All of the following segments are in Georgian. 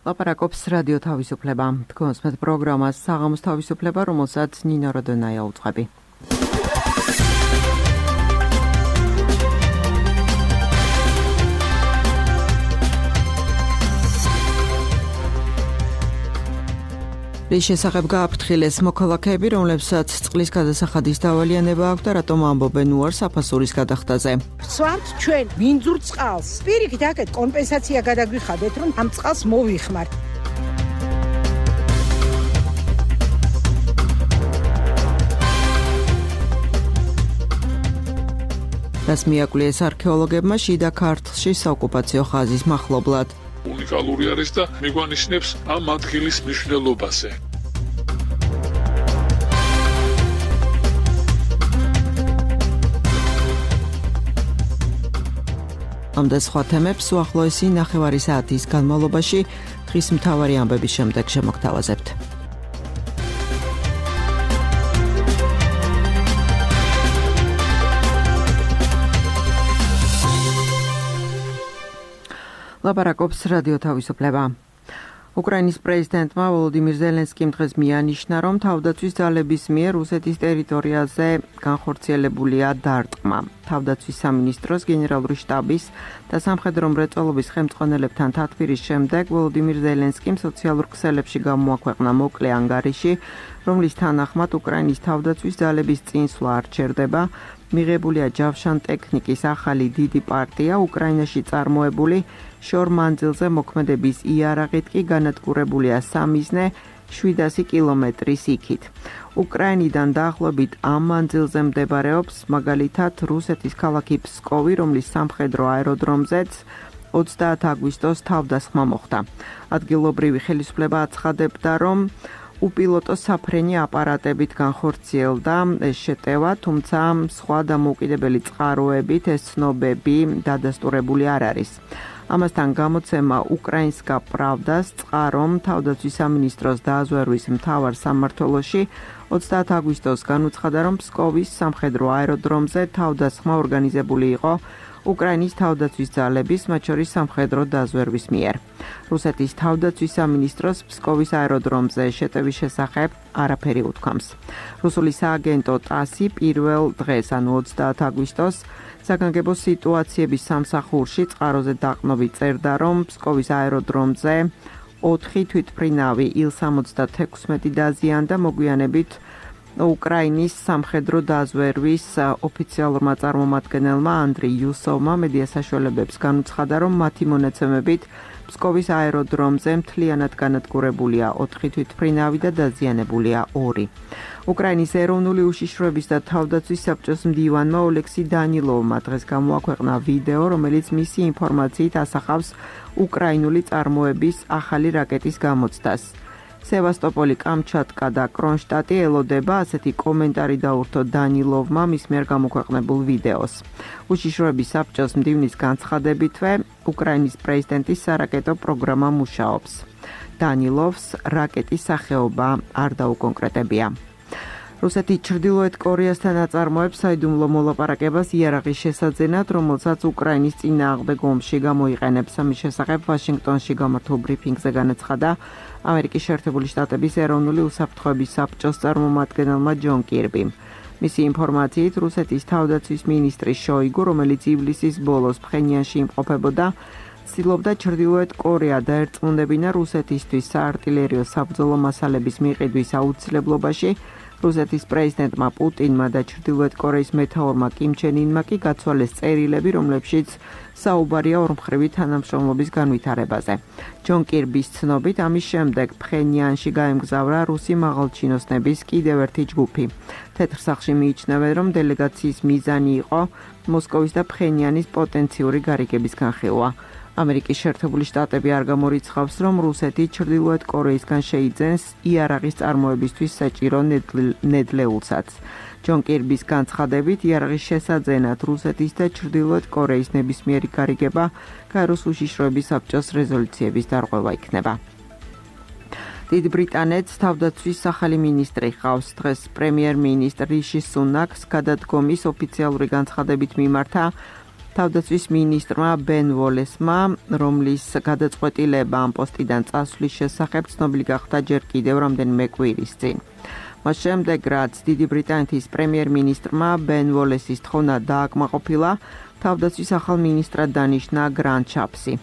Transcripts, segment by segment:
ლაპარაკობს რადიო თავისუფლება. თქვენს პროგრამას საღამოს თავისუფლება, რომელსაც ნინო როდონაია უძღვები. რის შესახებ გააფრთხილეს მოქალაქეები, რომლებსაც წყლის გადასახადის დავალიანება აქვს და რატომ ამბობენ უარს აფასურის გადახდაზე. ვსვამთ ჩვენ მინძურ წყალს. პირიქით აქეთ კომპენსაცია გადაგვიხადეთ, რომ ამ წყალს მოვიხმართ. რას მიაკვლიეს არქეოლოგებმა შიდა ქართლში საოკუპაციო ხაზის მახლობლად. უნიკალური არის და მიგვანიშნებს ამ ადგილის მნიშვნელობაზე. ამ და სხვა თემებს უახლოესი ნახევარი საათის განმავლობაში დღის მთავარი ამბების შემდეგ შემოგთავაზებთ. ლაპარაკობს რადიო თავისუფლება. უკრაინის პრეზიდენტმა ვოლოდიმირ ზელენსკიმ დღეს მიანიშნა, რომ თავდაცვის ძალების მიერ რუსეთის ტერიტორიაზე განხორციელებულია დარტყმა. თავდაცვის სამინისტროს, გენერალური შტაბის და სამხედრო მრეწველობის ხელმძღვანელებთან თათბირის შემდეგ ვოლოდიმირ ზელენსკიმ სოციალურ ქსელებში გამოაქვეყნა მოკლე ანგარიში, რომლის თანახმად უკრაინის თავდაცვის ძალების წინსვლა არ ჩერდება. მიღებულია ჯავშან ტექნიკის ახალი დიდი პარტია, უკრაინაში წარმოებული შორ-მანძილზე მოქმედების იარაღით კი განადგურებულია სამიზნე 700 კილომეტრის იქით. უკრაინიდან დაახლოებით ამ მანძილზე მდებარეობს მაგალითად რუსეთის ქალაქი ფსკოვი, რომლის სამხედრო აეროდრომზეც 30 აგვისტოს თავდასხმა მოხდა. ადგილობრივი ხელისუფლება აცხადებდა, რომ უპილოტო საფრენი აპარატებით განხორციელდა ეს შეტევა, თუმცა სხვა დამოუკიდებელი წყაროებით ეს ცნობები დადასტურებული არ არის. ამასთან გამოცემა უკრაინსკა პრავდას წყარომ თავდაცვის სამინისტროს დაზვერვის მთავარ სამმართველოში 30 აგვისტოს განუცხადა, რომ ფსკოვის სამხედრო აეროდრომზე თავდასხმა ორგანიზებული იყო უკრაინის თავდაცვის ძალების, მათ შორის სამხედრო დაზვერვის მიერ. რუსეთის თავდაცვის სამინისტროს ფსკოვის აეროდრომზე შეტევის შესახებ არაფერი უთქვამს. რუსული სააგენტო ტასი პირველ დღეს, ანუ 30 აგვისტოს, საგანგებო სიტუაციების სამსახურში წყაროზე დაყრდნობით წერდა, რომ ფსკოვის აეროდრომზე 4 თვითმფრინავი Il-76 დაზიანდა, მოგვიანებით უკრაინის სამხედრო დაზვერვის ოფიციალურმა წარმომადგენელმა ანდრი იუსოვმა მედია საშუალებებს განუცხადა, რომ მათი მონაცემებით ფსკოვის აეროდრომზე მთლიანად განადგურებულია 4 თვითმფრინავი და დაზიანებულია 2. უკრაინის ეროვნული უშიშროების და თავდაცვის საბჭოს მდივანმა ოლექსი დანილოვმა დღეს გამოაქვეყნა ვიდეო, რომელიც მისი ინფორმაციით ასახავს უკრაინული წარმოების ახალი რაკეტის გამოცდას. სევასტოპოლი, კამჩატკა და კრონშტატი ელოდება, ასეთი კომენტარი დაურთო დანილოვმა მის მიერ გამოქვეყნებულ ვიდეოს. უშიშროების საბჭოს მდივნის განცხადებითვე, უკრაინის პრეზიდენტის სარაკეტო პროგრამა მუშაობს. დანილოვს რაკეტის სახეობა არ დაუკონკრეტებია. რუსეთი ჩრდილოეთ კორეასთან აწარმოებს საიდუმლო მოლაპარაკებას იარაღის შესაძენად, რომელსაც უკრაინის წინააღმდეგ ომში გამოიყენებს. ამის შესახებ ვაშინგტონში გამართულ ბრიფინგზე განაცხადა ამერიკის შეერთებული შტატების ეროვნული უსაფრთხოების საბჭოს წარმომადგენელმა ჯონ კირბიმ. მისი ინფორმაციით, რუსეთის თავდაცვის მინისტრი შოიგუ, რომელიც ივლისის ბოლოს ფხენიანში იმყოფებოდა, ცდილობდა ჩრდილოეთ კორეა დაერწმუნდებინა რუსეთისთვის საარტილერიო საბრძოლო მასალების მიყიდვის აუცილებლობაში. რუსეთის პრეზიდენტმა პუტინმა და ჩრდილოეთ კორეის მეთაურმა კიმ ჩენ ინმა კი გაცვალეს წერილები, რომლებშიც საუბარია ორმხრივი თანამშრომლობის განვითარებაზე. ჯონ კირბის ცნობით, ამის შემდეგ ფხენიანში გაემგზავრა რუსი მაღალჩინოსნების კიდევ ერთი ჯგუფი. თეთრ სახლში მიიჩნევენ, რომ დელეგაციის მიზანი იყო მოსკოვის და ფხენიანის პოტენციური გარიგების განხილვა. ამერიკის შეერთებული შტატები არ გამორიცხავს, რომ რუსეთი ჩრდილოეთ კორეისგან შეიძენს იარაღის წარმოებისთვის საჭირო ნედლეულსაც. ჯონ კირბის განცხადებით, იარაღის შესაძენად რუსეთის და ჩრდილოეთ კორეის ნებისმიერი გარიგება გაეროს უშიშროების საბჭოს რეზოლუციების დარღვევა იქნება. დიდ ბრიტანეთს თავდაცვის ახალი მინისტრი ჰყავს. დღეს პრემიერ-მინისტრ რიში სუნაკს გადადგომის ოფიციალური განცხადებით მიმართა თავდაცვის მინისტრმა ბენ ვოლესმა, რომლის გადაწყვეტილება ამ პოსტიდან წასვლის შესახებ ცნობილი გახდა ჯერ კიდევ რამდენიმე კვირის წინ. მას შემდეგ, რაც დიდი ბრიტანეთის პრემიერ-მინისტრმა ბენ ვოლესის თხოვნა დააკმაყოფილა, თავდაცვის ახალ მინისტრად დანიშნა გრანტ შაპსი.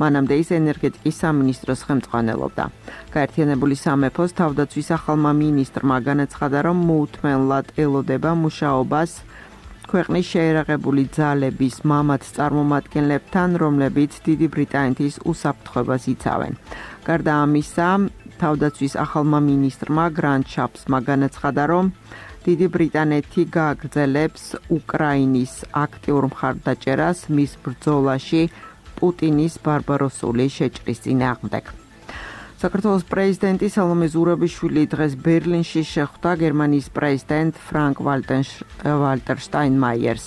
მანამდე ის ენერგეტიკის სამინისტროს ხელმძღვანელობდა. გაერთიანებული სამეფოს თავდაცვის ახალმა მინისტრმა განაცხადა, რომ მოუთმენლად ელოდება მუშაობას ქვეყნის შეერაღებული ძალების მამად წარმომადგენლებთან, რომლებიც დიდი ბრიტანეთის უსაფრთხოებას იცავენ. გარდა ამისა, თავდაცვის ახალმა მინისტრმა გრანტ შაპსმა განაცხადა, რომ დიდი ბრიტანეთი გააგრძელებს უკრაინის აქტიურ მხარდაჭერას მის ბრძოლაში პუტინის ბარბაროსული შეჭრის წინააღმდეგ. საქართველოს პრეზიდენტი სალომე ზურაბიშვილი დღეს ბერლინში შეხვდა გერმანიის პრეზიდენტ ფრანკ ვალტერ შტაინმაიერს.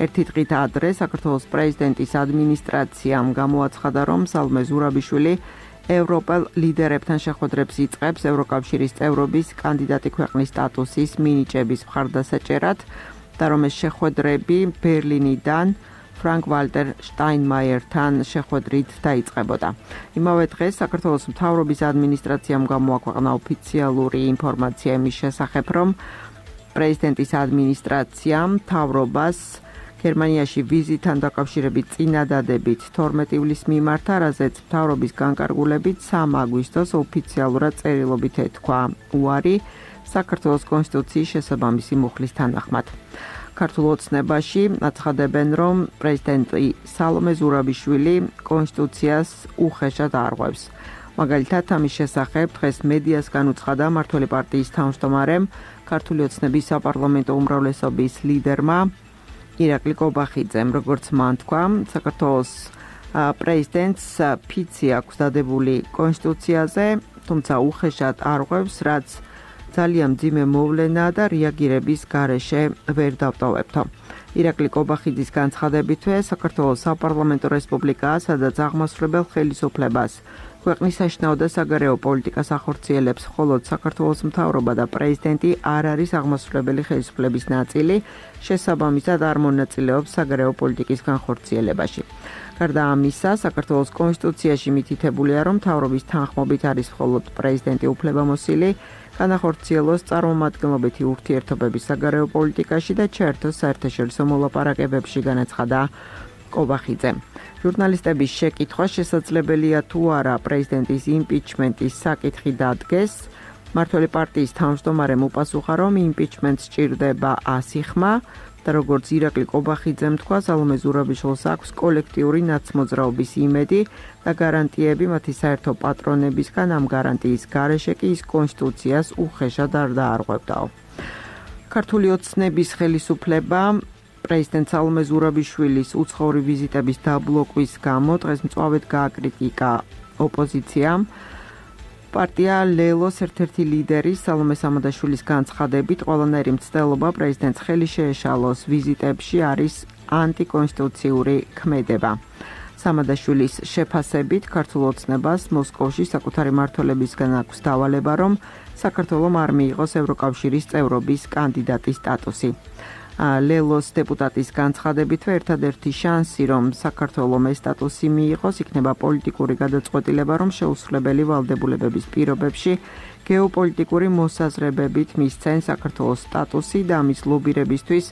ერთი დღით ადრე საქართველოს პრეზიდენტის ადმინისტრაციამ გამოაცხადა, რომ სალომე ზურაბიშვილი ევროპელ ლიდერებთან შეხვედრებს იწყებს ევროკავშირის წევრობის კანდიდატი ქვეყნის სტატუსის მინიჭების მხარდასაჭერად და რომ ეს შეხვედრები ბერლინიდან ფრანკ ვალტერ შტაინმაიერთან შეხვედრით დაიწყებოდა. იმავე დღეს საქართველოს მთავრობის ადმინისტრაციამ გამოაქვეყნა ოფიციალური ინფორმაცია იმის შესახებ, რომ პრეზიდენტის ადმინისტრაციამ მთავრობას გერმანიაში ვიზიტთან დაკავშირებით წინადადებით 12 ივლისს მიმართა, რაზეც მთავრობის განკარგულებით 3 აგვისტოს ოფიციალურად წერილობით ეთქვა უარი საქართველოს კონსტიტუციის შესაბამისი მუხლის თანახმად. ქართულ ოცნებაში აცხადებენ, რომ პრეზიდენტი სალომე ზურაბიშვილი კონსტიტუციას უხეშად არღვევს. მაგალითად, ამის შესახებ დღეს მედიას განუცხადა მმართველი პარტიის თავმჯდომარემ, ქართული ოცნების საპარლამენტო უმრავლესობის ლიდერმა ირაკლი კობახიძემ, როგორც მან თქვა, საქართველოს პრეზიდენტს ფიცი აქვს დადებული კონსტიტუციაზე, თუმცა უხეშად არღვევს, რაც ძალიან მძიმე მოვლენა და რეაგირების გარეშე ვერ დავტოვებთო. ირაკლი კობახიძის განცხადებითვე, საქართველოს საპარლამენტო რესპუბლიკაა, სადაც აღმასრულებელ ხელისუფლებას ქვეყნის საშინაო და საგარეო პოლიტიკას ახორციელებს, ხოლო საქართველოს მთავრობა და პრეზიდენტი არ არის აღმასრულებელი ხელისუფლების ნაწილი, შესაბამისად არ მონაწილეობს საგარეო პოლიტიკის განხორციელებაში. გარდა ამისა, საქართველოს კონსტიტუციაში მითითებულია, რომ მთავრობის თანხმობით არის მხოლოდ პრეზიდენტი უფლებამოსილი, განახორციელოს წარმომადგენლობითი ურთიერთობების საგარეო პოლიტიკაში და ჩაერთოს საერთაშორისო მოლაპარაკებებში, განაცხადა კობახიძემ. ჟურნალისტების შეკითხვა შესაძლებელია თუ არა პრეზიდენტის იმპიჩმენტის საკითხი დადგეს. მმართველი პარტიის თავმჯდომარემ უპასუხა, რომ იმპიჩმენტს სჭირდება 100 ხმა და როგორც ირაკლი კობახიძემ თქვა, სალომე ზურაბიშვილს აქვს კოლექტიური ნაცმოძრაობის იმედი და გარანტიები მათი საერთო პატრონებისგან. ამ გარანტიის გარეშე კი ის კონსტიტუციას უხეშად არ დაარღვევდაო. ქართული ოცნების ხელისუფლება პრეზიდენტ სალომე ზურაბიშვილის უცხოური ვიზიტების დაბლოკვის გამო დღეს მწვავედ გააკრიტიკა ოპოზიციამ. პარტია ლელოს ერთ-ერთი ლიდერი სალომე სამადაშვილის განცხადებით, ყველანაირი მცდელობა პრეზიდენტს ხელი შეეშალოს ვიზიტებში არის ანტიკონსტიტუციური ქმედება. სამადაშვილის შეფასებით, ქართულ ოცნებას მოსკოვში საკუთარი მმართველებისგან აქვს დავალება, რომ საქართველომ არ მიიღოს ევროკავშირის წევრობის კანდიდატის სტატუსი. ლელოს დეპუტატის განცხადებითვე, ერთადერთი შანსი, რომ საქართველომ ეს სტატუსი მიიღოს, იქნება პოლიტიკური გადაწყვეტილება, რომ შეუსრულებელი ვალდებულებების პირობებში გეოპოლიტიკური მოსაზრებებით მისცენ საქართველოს სტატუსი და ამის ლობირებისთვის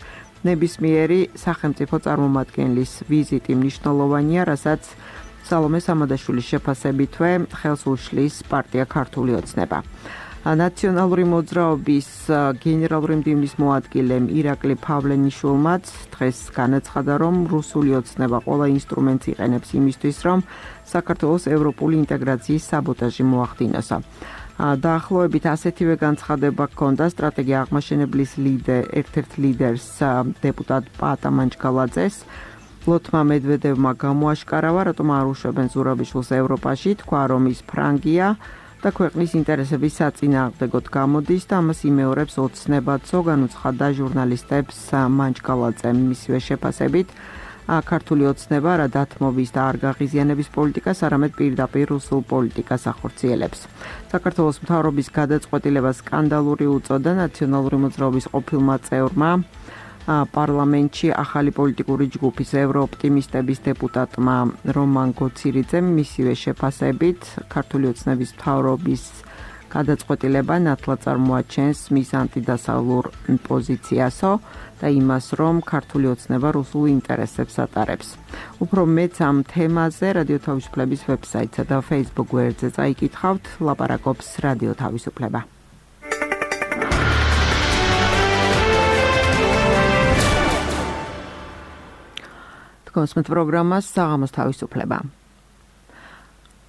ნებისმიერი სახელმწიფო წარმომადგენლის ვიზიტი მნიშვნელოვანია, რასაც სალომე სამადაშვილის შეფასებითვე ხელს უშლის პარტია ქართული ოცნება. ნაციონალური მოძრაობის გენერალური მდივნის მოადგილემ ირაკლი ფავლენიშვილმაც დღეს განაცხადა, რომ რუსული ოცნება ყველა ინსტრუმენტს იყენებს იმისთვის, რომ საქართველოს ევროპული ინტეგრაციის საბოტაჟი მოახდინოსო. დაახლოებით ასეთივე განცხადება ჰქონდა სტრატეგია აღმაშენებლის ერთ-ერთ ლიდერს დეპუტატ პატა მანჩგალაძეს. ლოთმა მედვედევმა გამოაშკარავა, რატომ არ უშვებენ ზურაბიშვილს ევროპაში, თქვა, რომ ის ფრანგია და ქვეყნის ინტერესების საწინააღმდეგოდ გამოდის და ამას იმეორებს ოცნებაცო, განუცხადა ჟურნალისტებს მანჩგალაძემ. მისივე შეფასებით, ქართული ოცნება რა დათმობის და არ გაღიზიანების პოლიტიკას, არამედ პირდაპირ რუსულ პოლიტიკას ახორციელებს. საქართველოს მთავრობის გადაწყვეტილებას სკანდალური უწოდა ნაციონალური მოძრაობის ყოფილმა წევრმა პარლამენტში ახალი პოლიტიკური ჯგუფის ევროოპტიმისტების დეპუტატმა რომან გოცირიძემ მისივე შეფასებით ქართული ოცნების მთავრობის გადაწყვეტილება ნათლად წარმოაჩენს მის ანტიდასავლურ პოზიციასო და იმას, რომ ქართული ოცნება რუსულ ინტერესებს ატარებს. უფრო მეც ამ თემაზე რადიო თავისუფლების ვებსაიტსა და Facebook გვერდზე წაიკითხავთ, ლაპარაკობს რადიო თავისუფლება. კონსმეთ პროგრამას საღამოს თავისუფლება.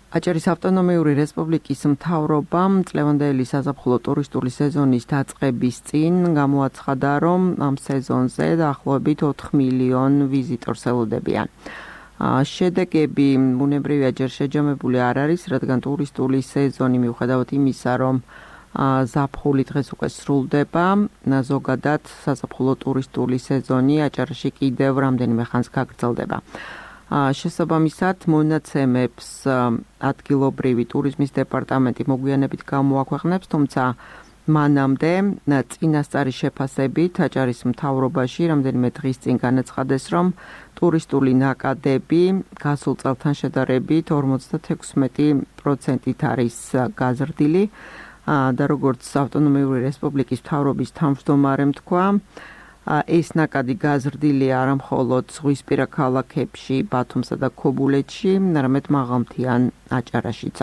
აჭარის ავტონომიური რესპუბლიკის მთავრობამ წლევანდელი საზაფხულო ტურისტული სეზონის დაწყების წინ გამოაცხადა, რომ ამ სეზონზე დაახლოებით 4 მილიონ ვიზიტორს ელოდებიან. შედეგები ბუნებრივია ჯერ შეჯამებული არ არის, რადგან ტურისტული სეზონი მიუხედავად იმისა, რომ ზაფხული დღეს უკვე სრულდება, ზოგადად საზაფხულო ტურისტული სეზონი აჭარაში კიდევ რამდენიმე ხანს გაგრძელდება. შესაბამისად, მონაცემებს ადგილობრივი ტურიზმის დეპარტამენტი მოგვიანებით გამოაქვეყნებს, თუმცა მანამდე წინასწარი შეფასებით აჭარის მთავრობაში რამდენიმე დღის წინ განაცხადეს, რომ ტურისტული ნაკადები გასულ წელთან შედარებით 56% არის გაზრდილი და როგორც ავტონომიური რესპუბლიკის მთავრობის თავმჯდომარემ თქვა, ეს ნაკადი გაზრდილია არა მხოლოდ ზღვისპირა ქალაქებში, ბათუმსა და ქობულეთში, არამედ მაღალმთიან აჭარაშიც.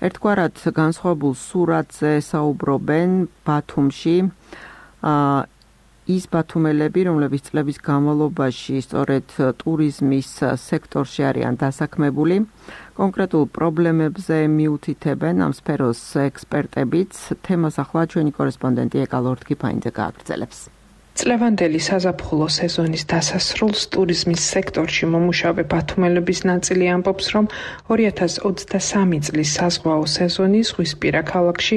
ერთგვარად განსხვავებულ სურათზე საუბრობენ ბათუმში ის ბათუმელები, რომლებიც წლების განმავლობაში სწორედ ტურიზმის სექტორში არიან დასაქმებული, კონკრეტულ პრობლემებზე მიუთითებენ ამ სფეროს ექსპერტებიც. თემას ახლა ჩვენი კორესპონდენტი ეკა ლორთქიფაინძე გააგრძელებს. წლევანდელი საზაფხულო სეზონის დასასრულს ტურიზმის სექტორში მომუშავე ბათუმელების ნაწილი ამბობს, რომ 2023 წლის საზღვაო სეზონი ზღვისპირა ქალაქში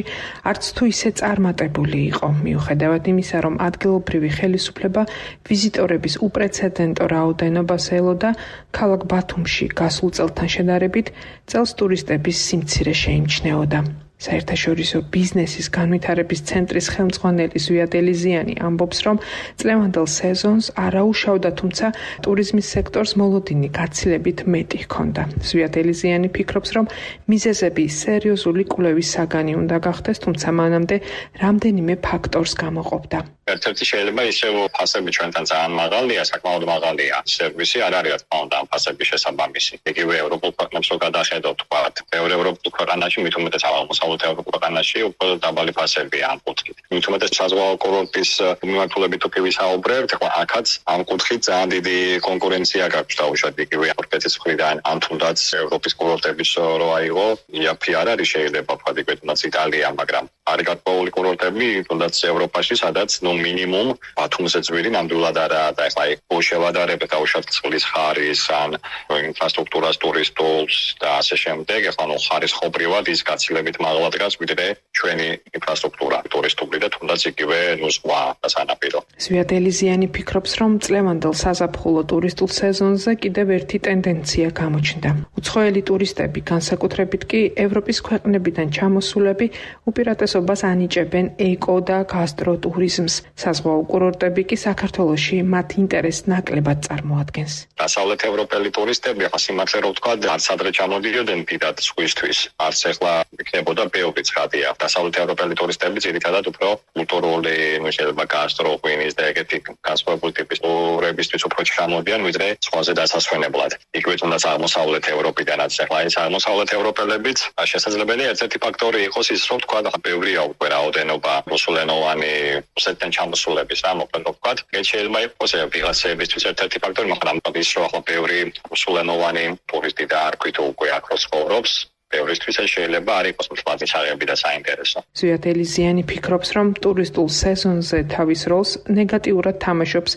არც თუ ისე წარმატებული იყო, მიუხედავად იმისა, რომ ადგილობრივი ხელისუფლება ვიზიტორების უპრეცედენტო რაოდენობას ელოდა, ქალაქ ბათუმში გასულ წელთან შედარებით წელს ტურისტების სიმცირე შეიმჩნეოდა. საერთაშორისო ბიზნესის განვითარების ცენტრის ხელმძღვანელი ზვიად ელიზიანი ამბობს, რომ წლევანდელ სეზონს არაუშავდა, თუმცა ტურიზმის სექტორს მოლოდინი გაცილებით მეტი ჰქონდა. ზვიად ელიზიანი ფიქრობს, რომ მიზეზები სერიოზული კვლევის საგანი უნდა გახდეს, თუმცა მანამდე რამდენიმე ფაქტორს გამოყოფდა. ერთ-ერთი შეიძლება ისევ ფასები ჩვენთან ძალიან მაღალია, საკმაოდ მაღალია. სერვისი არ არის, რა თქმა უნდა, ამ ფასების შესაბამისი. იგივე ევროპულ ქვეყნებს რო გადახედოთ, ვთქვათ, ბევრ ევროპულ ქვეყანაში, მით უმეტეს აღმოსავლეთ ევროპულ ქვეყანაში უფრო დაბალი ფასებია ამ კუთხით. მით უმეტეს საზღვაო კურორტის მიმართულებით თუ ვისაუბრებთ, ხო, აქაც ამ კუთხით ძალიან დიდი კონკურენცია გაქვს დაუშვათ იგივე თურქეთის მხრიდან, ან თუნდაც ევროპის კურორტების რო აიღო, იაფი არ არის შეიძლება ვთქვათ, იგივე თუნდაც იტალია, მაგრამ არის გარკვეული კურორტები, თუნდაც ევროპაში, სადაც მინიმუმ ბათუმზე ძვირი ნამდვილად არაა და ეხლა შევადარებთ დაუშვათ წყლის ხარის ან ინფრასტრუქტურას, ტურისტულს და ასე შემდეგ. ეხლა ხარისხობრივად ის გაცილებით მაღლა დგას ვიდრე ჩვენი ინფრასტრუქტურა ტურისტული და თუნდაც იგივე სხვა სანაპირო. ზვიად ელიზიანი ფიქრობს, რომ წლევანდელ საზაფხულო ტურისტულ სეზონზე კიდევ ერთი ტენდენცია გამოჩნდა. უცხოელი ტურისტები, განსაკუთრებით კი ევროპის ქვეყნებიდან ჩამოსულები, უპირატესობას ანიჭებენ ეკო და გასტროტურიზმს. საზღვაო კურორტები კი საქართველოში მათ ინტერესს ნაკლებად წარმოადგენს. დასავლეთ ევროპელი ტურისტები, ახლა სიმართლე რო ვთქვა, არც ადრე ჩამოდიოდნენ დიდად ზღვისთვის. არც ეხლა იქნებოდა ბევრი ცხადია. დასავლეთ ევროპელი ტურისტები ძირითადად უფრო კულტურული, შეიძლება გასტროღვინის და ეგეთი განსხვავებული ტიპის ტურებისთვის უფრო ჩამოდიან, ვიდრე სხვაზე დასასვენებლად. იგივე თუნდაც აღმოსავლეთ ევროპიდანაც. ეხლა ეს აღმოსავლეთ ევროპელებიც შესაძლებელია ერთ-ერთი ფაქტორი იყოს ის, რომ ვთქვა, ბევრია უკვე რაოდენობა რუსულენოვანი რუსეთიდან ჩამოსულების რა მოკლედ ვთქვათ. ეს შეიძლება იყოს ვიღაცებისთვის ერთ-ერთი ფაქტორი, მაგრამ ის რომ ახლა ბევრი რუსულენოვანი ტურისტი და არ ქვით უკვე აქ ცხოვრობს, ბევრისთვის შეიძლება არ იყოს მთლიანი საღები და საინტერესო. ზვიად ელიზიანი ფიქრობს, რომ ტურისტულ სეზონზე თავის როლს ნეგატიურად თამაშობს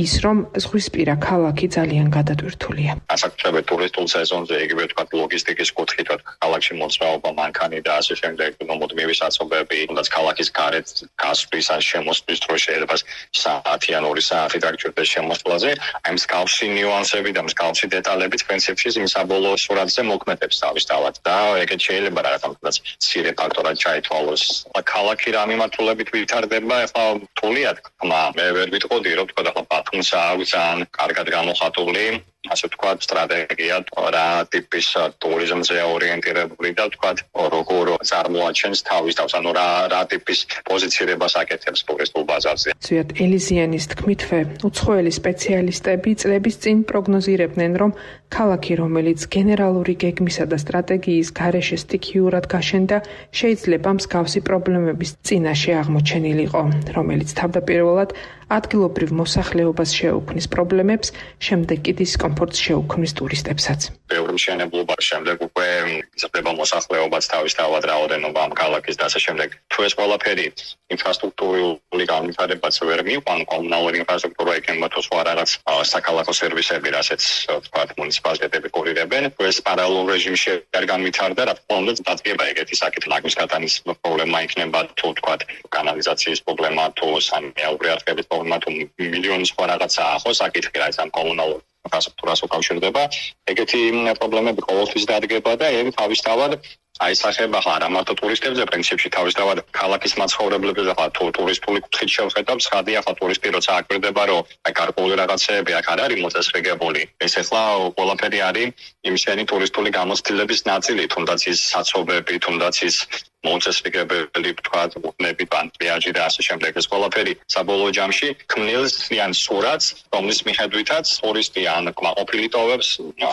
ის, რომ ზღვისპირა ქალაქი ძალიან გადატვირთულია. ასაკუთრებით ტურისტულ სეზონზე იგივე ვთქვათ ლოგისტიკის კუთხით, ქალაქში მოძრაობა, მანქანი და ასე შემდეგ, მოდმიევი საცობები, თუნდაც ქალაქის გარეთ გასვლის ან შემოსვლის დროს შეიძლება 10-ან 2 საათი დაგჭირდეს შემოსვლაზე, აი მსგავსი ნიუანსები და მსგავსი დეტალები პრინციპში იმ საბოლოო სურათზე მოქმედებს თავისთავად და ეგეც შეიძლება რაღაცა მცირე ფაქტორად ჩაითვალოს. ქალაქი რა მიმართულებით ვითარდება, ეხლა რთულია თქმა. მე ვერ ვიტყოდი, რომ თქვა ახლა ბათუმს აქვს ძალიან კარგად გამოხატული ასე ვთქვათ, სტრატეგია რა ტიპის ტურიზმზე ორიენტირებული და ვთქვათ, როგორ წარმოაჩენს თავის თავს, ანუ რა ტიპის პოზიცირებას აკეთებს ტურისტულ ბაზარზე. ზვიად ელიზიანის თქმითვე, უცხოელი სპეციალისტები წლების წინ პროგნოზირებდნენ, რომ ქალაქი, რომელიც გენერალური გეგმისა და სტრატეგიის გარეშე სტიქიურად გაშენდა, შეიძლება მსგავსი პრობლემების წინაშე აღმოჩენილიყო, რომელიც თავდაპირველად ადგილობრივ მოსახლეობას შეუქმნის პრობლემებს, შემდეგ კი დისკომფორტს შეუქმნის ტურისტებსაც. ბევრი მშენებლობა შემდეგ უკვე იზრდება მოსახლეობაც თავისთავად რაოდენობა ამ ქალაქის და ასე შემდეგ. თუ ეს ყველაფერი ინფრასტრუქტურული განვითარებაც ვერ მიყვან, კომუნალური ინფრასტრუქტურა იქნება თუ სხვა რაღაც საქალაქო სერვისები, რასაც ვთქვათ, მუნიციპალიტეტები კურირებენ, ეს პარალელურ რეჟიმში არ განვითარდა, რა თქმა უნდა, დადგება ეგეთი საკითხი, ლაგვის გატანის პრობლემა იქნება, თუ ვთქვათ, კანალიზაციის პრობლემა, თუ სამეურნეო არხების პრობლემა, თუ მილიონი სხვა რაღაცა ხო საკითხი, რაც ამ კომუნალურ ინფრასტრუქტურას უკავშირდება, ეგეთი პრობლემები ყოველთვის დადგება და ეგ თავისთავად აისახება არა მარტო ტურისტებზე, პრინციპში თავისთავად ქალაქის მაცხოვრებლებზე, ახლა თუ ტურისტული კუთხით შევხედავთ, ხადი ახლა ტურისტი როცა აკვირდება, რომ აი გარკვეული რაღაცეები აქ არ არის მოწესრიგებული. ეს ახლა ყველაფერი არის იმისენი ტურისტული გამოცდილების ნაწილი, თუნდაც ის საცობები, თუნდაც ის მოწესრიგებელი, ვთქვათ, უბნები, პლაჟი და ასე შემდეგ. ეს ყველაფერი საბოლოო ჯამში ქმნილს ან სურათს, რომლის მიხედვითაც ტურისტი ან კმაყოფილი ტოვებს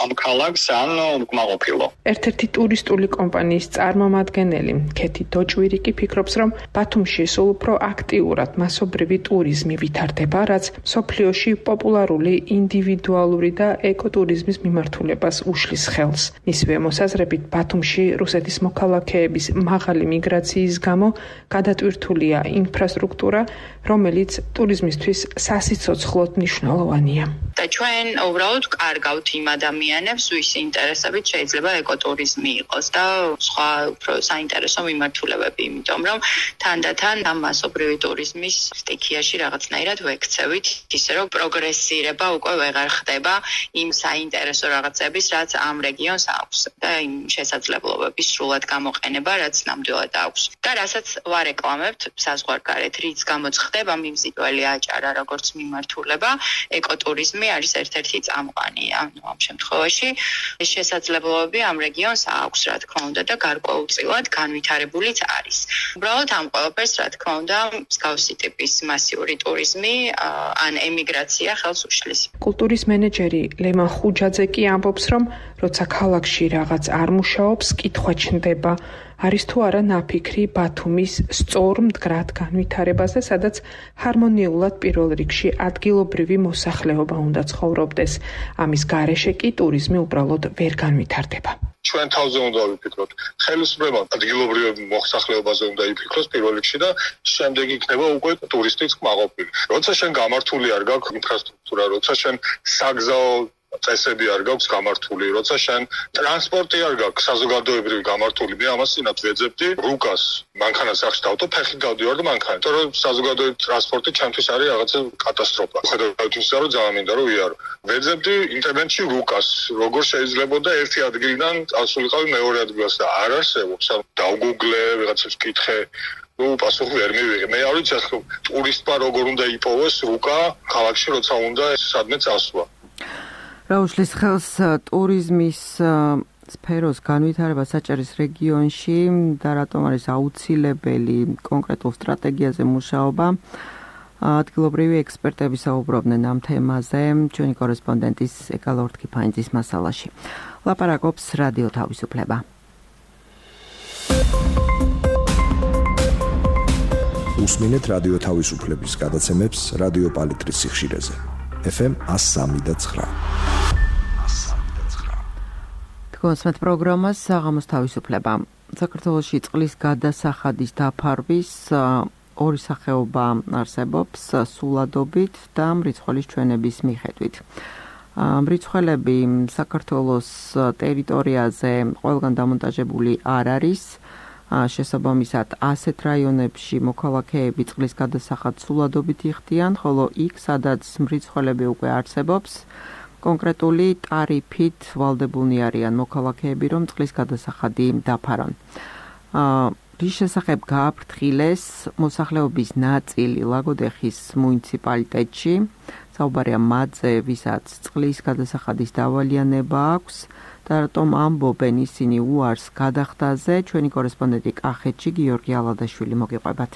ამ ქალაქს, ან უკმაყოფილო. ერთ-ერთი ტურისტული კომპანიის წარმომადგენელი, ქეთი დოჭვირიკი ფიქრობს, რომ ბათუმში სულ უფრო აქტიურად მასობრივი ტურიზმი ვითარდება, რაც მსოფლიოში პოპულარული ინდივიდუალური და ეკოტურიზმის მიმართულებას უშლის ხელს. მისივე მოსაზრებით, ბათუმში რუსეთის მოქალაქეების მაღალი მიგრაციის გამო გადატვირთულია ინფრასტრუქტურა, რომელიც ტურიზმისთვის სასიცოცხლოდ მნიშვნელოვანია. და ჩვენ უბრალოდ კარგავთ იმ ადამიანებს, ვისი ინტერესებით შეიძლება ეკოტურიზმი იყოს და სხვა უფრო საინტერესო მიმართულებები, იმიტომ რომ თანდათან ამ მასობრივი ტურიზმის სტიქიაში რაღაცნაირად ვექცევით, ისე რომ პროგრესირება უკვე ვეღარ ხდება იმ საინტერესო რაღაცების, რაც ამ რეგიონს აქვს და იმ შესაძლებლობების სრულად გამოყენება, რაც ნამდვილად აქვს. და რასაც ვარეკლამებთ საზღვარგარეთ, რიც გამოცხდება მიმზიდველი აჭარა როგორც მიმართულება, ეკოტურიზმი არის ერთ-ერთი წამყვანი. ანუ ამ შემთხვევაში ეს შესაძლებლობები ამ რეგიონს აქვს, რა თქმა უნდა, და გარკვეულწილად განვითარებულიც არის. უბრალოდ ამ ყველაფერს, რა თქმა უნდა, მსგავსი ტიპის მასიური ტურიზმი ან ემიგრაცია ხელს უშლის. კულტურის მენეჯერი ლემა ხუჯაძე კი ამბობს, რომ როცა ქალაქში რაღაც არ მუშაობს, კითხვა ჩნდება, არის თუ არა ნაფიქრი ბათუმის სწორ მდგრად განვითარებაზე, სადაც ჰარმონიულად პირველ რიგში ადგილობრივი მოსახლეობა უნდა ცხოვრობდეს. ამის გარეშე კი ტურიზმი უბრალოდ ვერ განვითარდება. ჩვენ თავზე უნდა ვიფიქროთ. ხელისუფლება ადგილობრივ მოსახლეობაზე უნდა იფიქროს პირველ რიგში და შემდეგ იქნება უკვე ტურისტის კმაყოფილი. როცა შენ გამართული არ გაქვს ინფრასტრუქტურა, როცა შენ საგზაო წესები არ გაქვს გამართული, როცა შენ ტრანსპორტი არ გაქვს საზოგადოებრივი გამართული, მე ამას წინათ ვეძებდი რუკას, მანქანას სახში დავტო, ფეხით დავდივარ და მანქანით. იმიტომ რომ საზოგადოებრივი ტრანსპორტი ჩემთვის არის რაღაცა კატასტროფა. ხედავთ იმისა, რომ ძალიან მინდა რომ ვიარო. ვეძებდი ინტერნეტში რუკას, როგორ შეიძლებოდა ერთი ადგილიდან წასულიყავი მეორე ადგილას და არ არსებობს. დავგუგლე, ვიღაცებს ვკითხე, პასუხი ვერ მივიღე. მე არ ვიცი, ტურისტმა როგორ უნდა იპოვოს რუკა ქალაქში, როცა უნდა სადმე წასვლა. რა უშლის ხელს ტურიზმის სფეროს განვითარება საჭირის რეგიონში და რატომ არის აუცილებელი კონკრეტულ სტრატეგიაზე მუშაობა? ადგილობრივი ექსპერტები საუბრობდნენ ამ თემაზე ჩვენი კორესპონდენტის ეკალორთქიფანიძის მასალაში. ლაპარაკობს რადიო თავისუფლება. უსმინეთ რადიო თავისუფლების გადაცემებს რადიო პალიტრის სიხშირეზე. FM 103.9. გონსმეთ პროგრამას საღამოს თავისუფლება. საქართველოში წყლის გადასახადის დაფარვის ორი სახეობა არსებობს სულადობით და მრიცხველის ჩვენების მიხედვით. მრიცხველები საქართველოს ტერიტორიაზე ყველგან დამონტაჟებული არ არის. შესაბამისად ასეთ რაიონებში მოქალაქეები წყლის გადასახადს სულადობით იხდიან, ხოლო იქ, სადაც მრიცხველები უკვე არსებობს, კონკრეტული ტარიფით ვალდებულნი არიან მოქალაქეები, რომ წყლის გადასახადი დაფარონ. რის შესახებ გააფრთხილეს მოსახლეობის ნაწილი ლაგოდეხის მუნიციპალიტეტში, საუბარია მათზე, ვისაც წყლის გადასახადის დავალიანება აქვს და რატომ ამბობენ ისინი უარს გადახდაზე, ჩვენი კორესპონდენტი კახეთში გიორგი ალადაშვილი მოგიყვებათ.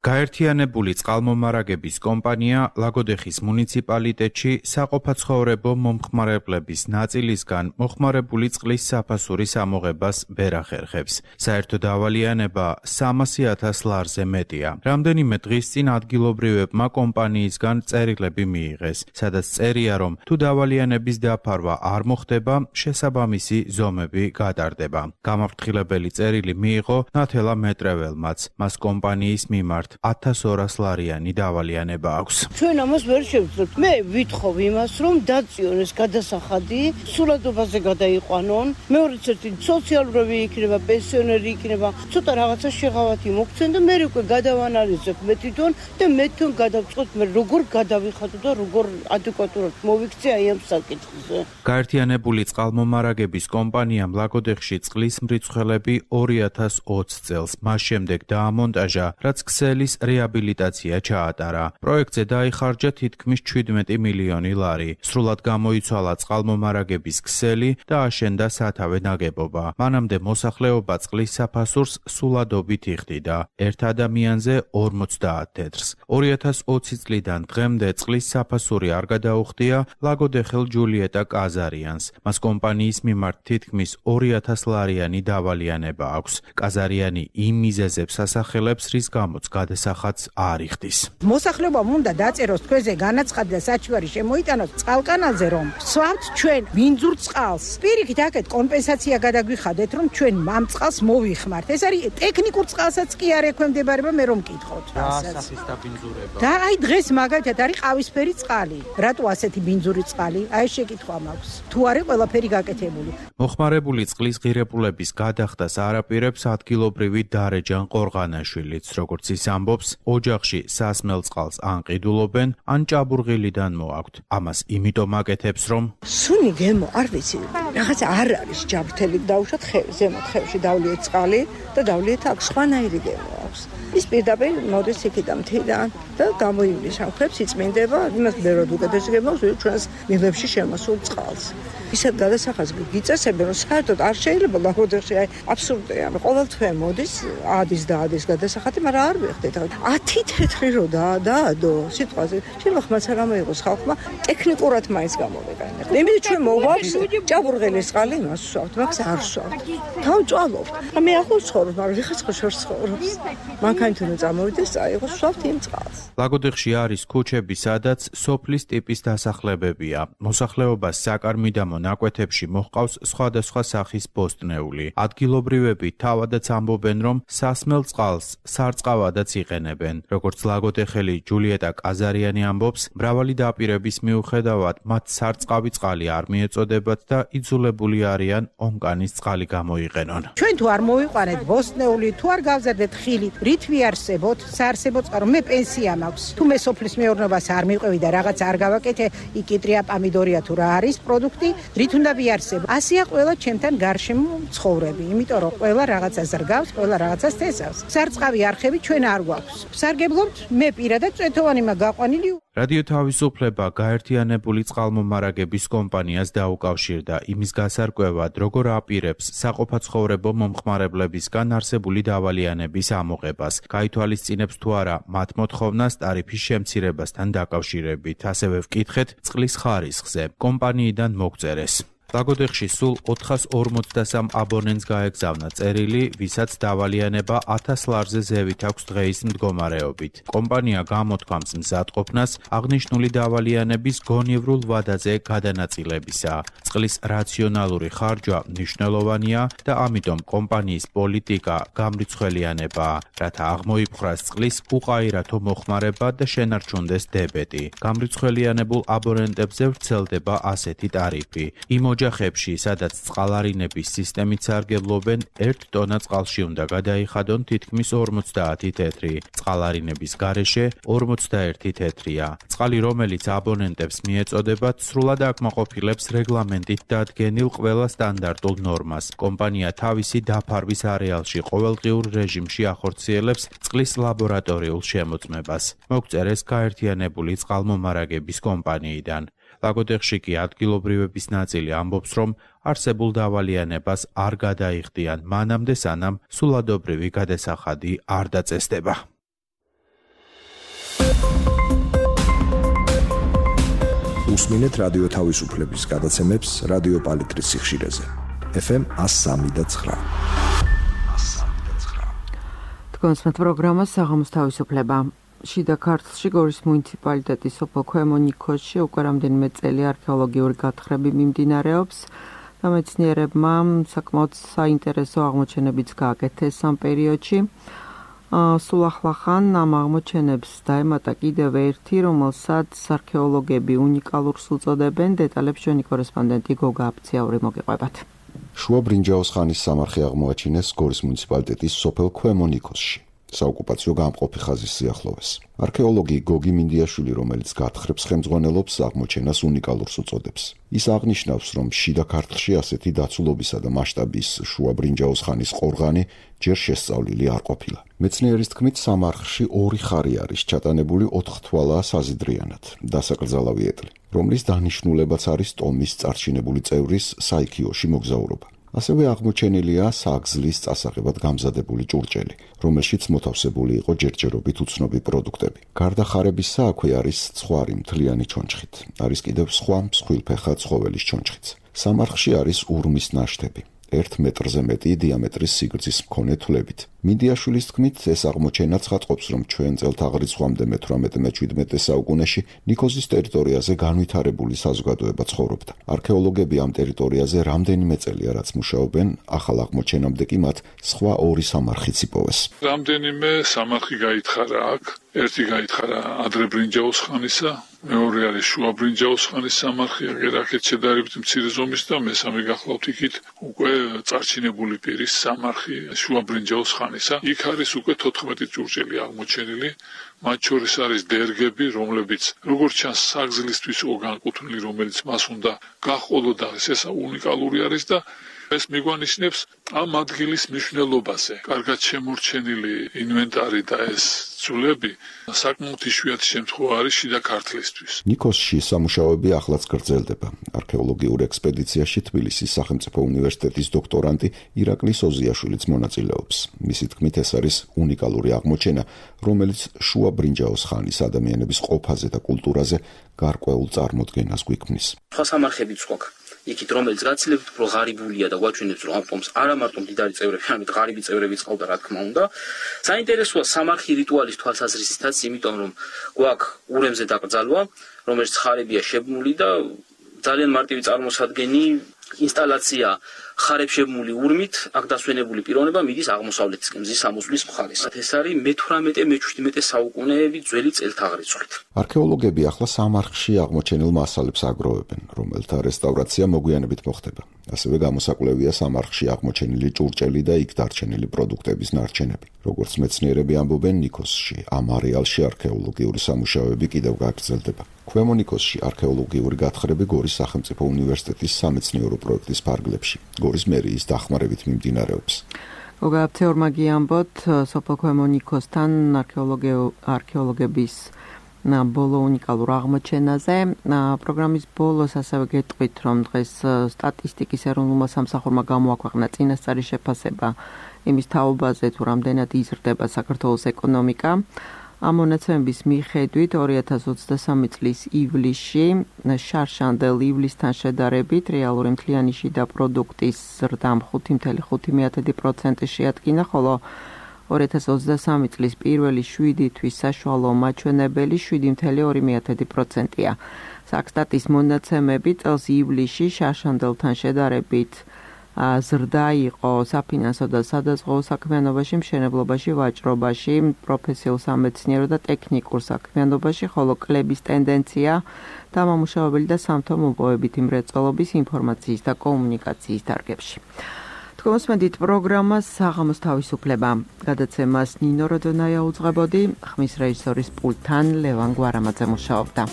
გაერთიანებული წყალმომარაგების კომპანია ლაგოდეხის მუნიციპალიტეტში საყოფაცხოვრებო მომხმარებლების ნაწილისგან მოხმარებული წყლის საფასურის ამოღებას ვერ ახერხებს. საერთო დავალიანება 300,000 ლარზე მეტია. რამდენიმე დღის წინ ადგილობრივებმა კომპანიისგან წერილები მიიღეს, სადაც წერია, რომ თუ დავალიანების დაფარვა არ მოხდება, შესაბამისი ზომები გადარდება. გამაფრთხილებელი წერილი მიიღო ნათელა მეტრეველმაც, მას კომპანიის მიმართ 1200 ლარიანი დავალიანება აქვს. ჩვენ ამას ვერ შევძლებთ. მე ვითხოვ იმას, რომ დაწიონ ეს გადასახადი, სულადობაზე გადაიყვანონ. მეორეც ერთი სოციალურები იქნება, პენსიონერი იქნება, ცოტა რაღაცა შეღავათი მოგცენ და მე უკვე გადავანალიზებ მე თვითონ და მე თვითონ გადავწყვეტ მე როგორ გადავიხადო და როგორ ადეკვატურად მოვიქცე აი ამ საკითხზე. გაერთიანებული წყალმომარაგების კომპანიამ ლაგოდეხში წყლის მრიცხველები 2020 წელს მას შემდეგ დაამონტაჟა, რაც ქსელი რეაბილიტაცია ჩაატარა. პროექტზე დაიხარჯა თითქმის 17 მილიონი ლარი. სრულად გამოიცვალა წყალმომარაგების ქსელი და აშენდა სათავე ნაგებობა. მანამდე მოსახლეობა წყლის საფასურს სულადობით იხდიდა. ერთ ადამიანზე 50 თეთრს. 2020 წლიდან დღემდე წყლის საფასური არ გადაუხდია ლაგოდეხელ ჯულიეტა კაზარიანს. მას კომპანიის მიმართ თითქმის 2000 ლარიანი დავალიანება აქვს. კაზარიანი იმ მიზეზებს ასახელებს, რის გამოც გადასახადს არ იხდის. მოსახლეობამ უნდა დაწეროს თქვენზე განაცხადი და საჩივარი შემოიტანოს წყალკანალზე, რომ ვსვამთ ჩვენ მინძურ წყალს. პირიქით აქეთ კომპენსაცია გადაგვიხადეთ, რომ ჩვენ ამ წყალს მოვიხმართ. ეს არის ტექნიკურ წყალსაც კი არ ექვემდებარება, მე რომ მკითხოთ. ასახის დაბინძურება. და აი დღეს მაგალითად არის ყავისფერი წყალი. რატო ასეთი ბინძური წყალი? აი შეკითხვა მაქვს. თუ არის ყველაფერი გაკეთებული. მოხმარებული წყლის ღირებულების გადახდას არაპირებს ადგილობრივი დარეჯან ყორღანაშვილიც, როგორც ის ამბობს, ოჯახში სასმელ წყალს ან ყიდულობენ, ან ჭაბურღილიდან მოაქვთ. ამას იმიტომ აკეთებს, რომ სუნი გემო, არ ვიცი, რაღაც არ არის ჯაბრთელი დაუშვათ ზემოთ ხევში დავლიეთ წყალი და დავლიეთ აქ სხვანაირი გემო აქვს. ის პირდაპირ მოდის იქიდან მთიდან და გამოივლისავს, იწმინდება, იმას ბევრად უკეთეს გემოს, ჩვენს მიღებში შემოსულ წყალს. ისეთ გადასახადს გიწესებენ, რომ საერთოდ არ შეიძლება ლაგოდეხში, აი აბსურდია. ყოველთვე მოდის ადის გადასახადი, მაგრამ არ ვიხდით. 10 თეთრი რო დაადო სიტყვაზე. შეიძლება ხმაც არ ამოიღოს ხალხმა, ტექნიკურად მაინც გამოვიყენებთ. იმით ჩვენ მოგვაქვს ჭაბურღილის წყალი იმას ვსვავთ, მაგას არ ვსვავთ. თავჭვალობთ. მე ახლა ცხოვრობ, მაგრამ ვიღაც ხო შორს ცხოვრობს. მანქანით უნდა წამოვიდეს, წაიღოს ვსვავთ იმ წყალს. ლაგოდეხში არის ქუჩები, სადაც სოფლის ტიპის დასახლებებია. მოსახლეობას საკარმიდამო ნაკვეთებში მოჰყავს სხვადასხვა სახის ბოსტნეული. ადგილობრივები თავადაც ამბობენ, რომ სასმელ წყალს სარწყავადაც იყენებენ. როგორც ლაგოდეხელი ჯულიეტა კაზარიანი ამბობს, მრავალი დაპირების მიუხედავად მათ სარწყავი წყალი არ მიეწოდებათ და იძულებული არიან ონკანის წყალი გამოიყენონ. ჩვენ თუ არ მოვიყვანეთ ბოსტნეული, თუ არ გავზარდეთ ხილი, რით ვიარსებოთ? საარსებო წყარო, მე პენსია მაქვს. თუ მე სოფლის მეურნეობას არ მივყვევი და რაღაც არ გავაკეთე, იკიტრია, პამიდორია თუ რა არის პროდუქტი, რით უნდა ვიარსებო? ასეა ყველა ჩემთან გარშემო ცხოვრები, იმიტომ რომ ყველა რაღაცას რგავს, ყველა რაღაცას თესავს. სარწყავი არხები ჩვენ არ გვაქვს. ვსარგებლობთ, მე პირადად წვეთოვანი მაგვაყვანილი. რადიო თავისუფლება გაერთიანებული წყალმომარაგების კომპანიას დაუკავშირდა იმის გასარკვევად, როგორ აპირებს საყოფაცხოვრებო მომხმარებლებისგან არსებული დავალიანების ამოღებას. გაითვალისწინებს თუ არა მათ მოთხოვნას ტარიფის შემცირებასთან დაკავშირებით. ასევე ვკითხეთ წყლის ხარისხზე. კომპანიიდან მოგწერეს. ლაგოდეხში სულ 453 აბონენტს გაეგზავნა წერილი, ვისაც დავალიანება 1000 ლარზე ზევით აქვს დღეის მდგომარეობით. კომპანია გამოთქვამს მზადყოფნას აღნიშნული დავალიანების გონივრულ ვადაზე გადანაწილებისა. წყლის რაციონალური ხარჯვა მნიშვნელოვანია და ამიტომ კომპანიის პოლიტიკა გამრიცხველიანებაა, რათა აღმოიფხვრას წყლის უყაირათო მოხმარება და შენარჩუნდეს დებეტი. გამრიცხველიანებულ აბონენტებზე ვრცელდება ასეთი ტარიფი. იმ ოჯახებში, სადაც წყალარინების სისტემით სარგებლობენ, 1 ტონა წყალში უნდა გადაიხადონ თითქმის 50 თეთრი. წყალარინების გარეშე 41 თეთრია. წყალი, რომელიც აბონენტებს მიეწოდებათ, სრულად აკმაყოფილებს რეგლამენტით დადგენილ ყველა სტანდარტულ ნორმას. კომპანია თავისი დაფარვის არეალში ყოველდღიურ რეჟიმში ახორციელებს წყლის ლაბორატორიულ შემოწმებას. მოგწერეს გაერთიანებული წყალმომარაგების კომპანიიდან. ლაგოდეხში კი ადგილობრივების ნაწილი ამბობს, რომ არსებულ დავალიანებას არ გადაიხდიან მანამდე, სანამ სულადობრივი გადასახადი არ დაწესდება. უსმინეთ რადიო თავისუფლების გადაცემებს რადიო პალიტრის სიხშირეზე. FM 103.9. თქვენს პროგრამას საღამოს თავისუფლება. შიდა ქართლში გორის მუნიციპალიტეტის სოფელ ქვემო ნიქოზში უკვე რამდენიმე წელი არქეოლოგიური გათხრები მიმდინარეობს და მეცნიერებმა საკმაოდ საინტერესო აღმოჩენებიც გააკეთეს ამ პერიოდში. სულ ახლახან ამ აღმოჩენებს დაემატა კიდევ ერთი, რომელსაც არქეოლოგები უნიკალურს უწოდებენ. დეტალებს ჩვენი კორესპონდენტი გოგა აფციაური მოგიყვებათ. შუა ბრინჯაოს ხანის სამარხი აღმოაჩინეს გორის მუნიციპალიტეტის სოფელ ქვემო ნიქოზში. საოკუპაციო გამყოფი ხაზის სიახლოვეს. არქეოლოგი გოგი მინდიაშვილი, რომელიც გათხრებს ხელმძღვანელობს, აღმოჩენას უნიკალურს უწოდებს. ის აღნიშნავს, რომ შიდა ქართლში ასეთი დაცულობისა და მასშტაბის შუა ბრინჯაოს ხანის ყორღანი ჯერ შესწავლილი არ ყოფილა. მეცნიერის თქმით, სამარხში 2 ხარი არის ჩატანებული 4 თვალაა საზიდრიანად, დასაკრძალავი ეტლი, რომლის დანიშნულებაც არის ტომის წარჩინებული წევრის საიქიოში მოგზაურობა. ასევე აღმოჩენილია საგზლის წასაღებად გამზადებული ჭურჭელი, რომელშიც მოთავსებული იყო ჯერჯერობით უცნობი პროდუქტები. გარდა ხარებისა, აქვე არის ცხვარი მთლიანი ჩონჩხით. არის კიდევ სხვა მსხვილფეხა ცხოველის ჩონჩხიც. სამარხში არის ურმის ნაშთები. 1 მეტრზე მეტი დიამეტრის სიგრძის მქონე თვლებით. მინდიაშვილის თქმით, ეს აღმოჩენა ცხადყოფს, რომ ჩვენ წელთაღრიცხვამდე მე-18-17 საუკუნეში ნიქოზის ტერიტორიაზე განვითარებული საზოგადოება ცხოვრობდა. არქეოლოგები ამ ტერიტორიაზე რამდენიმე წელია რაც მუშაობენ, ახალ აღმოჩენამდე კი მათ სხვა 2 სამარხიც იპოვეს. რამდენიმე სამარხი გაითხარა აქ. ერთი გაითხარა ადრე ბრინჯაოს ხანისა, მეორე არის შუა ბრინჯაოს ხანის სამარხი, აქეთ შედარებით მცირე ზომის და მესამე გახლავთ იქით უკვე წარჩინებული პირის სამარხი შუა ბრინჯაოს ხანისა. იქ არის უკვე 14 ჭურჭელი აღმოჩენილი, მათ შორის არის დერგები, რომლებიც როგორც ჩანს საგზლისთვის იყო განკუთვნილი, რომელიც მას უნდა გაჰყოლოდა, ეს უნიკალური არის და ეს მიგვანიშნებს ამ ადგილის მნიშვნელობაზე. კარგად შემორჩენილი ინვენტარი და ეს ძვლები საკმაოდ იშვიათი შემთხვევა არის შიდა ქართლისთვის. ნიქოზში სამუშაოები ახლაც გრძელდება. არქეოლოგიურ ექსპედიციაში თბილისის სახელმწიფო უნივერსიტეტის დოქტორანტი ირაკლი სოზიაშვილიც მონაწილეობს. მისი თქმით, ეს არის უნიკალური აღმოჩენა, რომელიც შუა ბრინჯაოს ხანის ადამიანების ყოფაზე და კულტურაზე გარკვეულ წარმოდგენას გვიქმნის. სხვა სამარხებიც გვაქვს. იქით რომელიც გაცილებით უფრო ღარიბულია და გვაჩვენებს, რომ ამ ტომს არა მარტო მდიდარი წევრები, არამედ ღარიბი წევრებიც ყავდა, რა თქმა უნდა. საინტერესოა სამარხი რიტუალის თვალსაზრისითაც, იმიტომ რომ გვაქვს ურემზე დაკრძალვა, რომელიც ხარებია შებნული და ძალიან მარტივი წარმოსადგენი ინსტალაცია ხარებშებმული ურმით, აქ დასვენებული პიროვნება მიდის აღმოსავლეთისკენ, მზის სამოსვლის მხარეს. ეს არის მე-18-მე-17 საუკუნეები ძველი წელთაღრიცხვით. არქეოლოგები ახლა სამარხში აღმოჩენილ მასალებს აგროვებენ, რომელთა რესტავრაცია მოგვიანებით მოხდება. ასევე გამოსაკვლევია სამარხში აღმოჩენილი ჭურჭელი და იქ დარჩენილი პროდუქტების ნარჩენები. როგორც მეცნიერები ამბობენ, ნიქოზში ამ არეალში არქეოლოგიური სამუშაოები კიდევ გაგრძელდება. ქვემო ნიქოზში არქეოლოგიური გათხრები გორის სახელმწიფო უნივერსიტეტის სამეცნიერო პროექტის ფარგლებში, გორის მერიის დახმარებით მიმდინარეობს. გოგა აფციაურმა გიამბოთ, სოფელ ქვემო ნიქოზთან არქეოლოგების ბოლო უნიკალურ აღმოჩენაზე. პროგრამის ბოლოს ასევე გეტყვით, რომ დღეს სტატისტიკის ეროვნულმა სამსახურმა გამოაქვეყნა წინასწარი შეფასება იმის თაობაზე, თუ რამდენად იზრდება საქართველოს ეკონომიკა. ამ მონაცემების მიხედვით 2023 წლის ივლისში შარშანდელ ივლისთან შედარებით რეალური მთლიანი შიდა პროდუქტის ზრდამ 5.5% შეადგინა, ხოლო 2023 წლის პირველი 7 თვის საშუალო მაჩვენებელი 7.2%-ია. საქსტატის მონაცემები წელს ივლისში შარშანდელთან შედარებით ზრდა იყო საფინანსო და სადაზღვო საქმიანობაში, მშენებლობაში, ვაჭრობაში, პროფესიულ სამეცნიერო და ტექნიკურ საქმიანობაში, ხოლო კლების ტენდენცია დამამუშავებელი და სამთო-მოპოვებითი მრეწველობის, ინფორმაციის და კომუნიკაციის დარგებში. თქვენს პროგრამას საღამოს თავისუფლება. გადაცემას ნინო როდონაია უძღვებოდი, ხმის რეჟისორის პულტთან ლევან გვარამაძე მუშაობდა.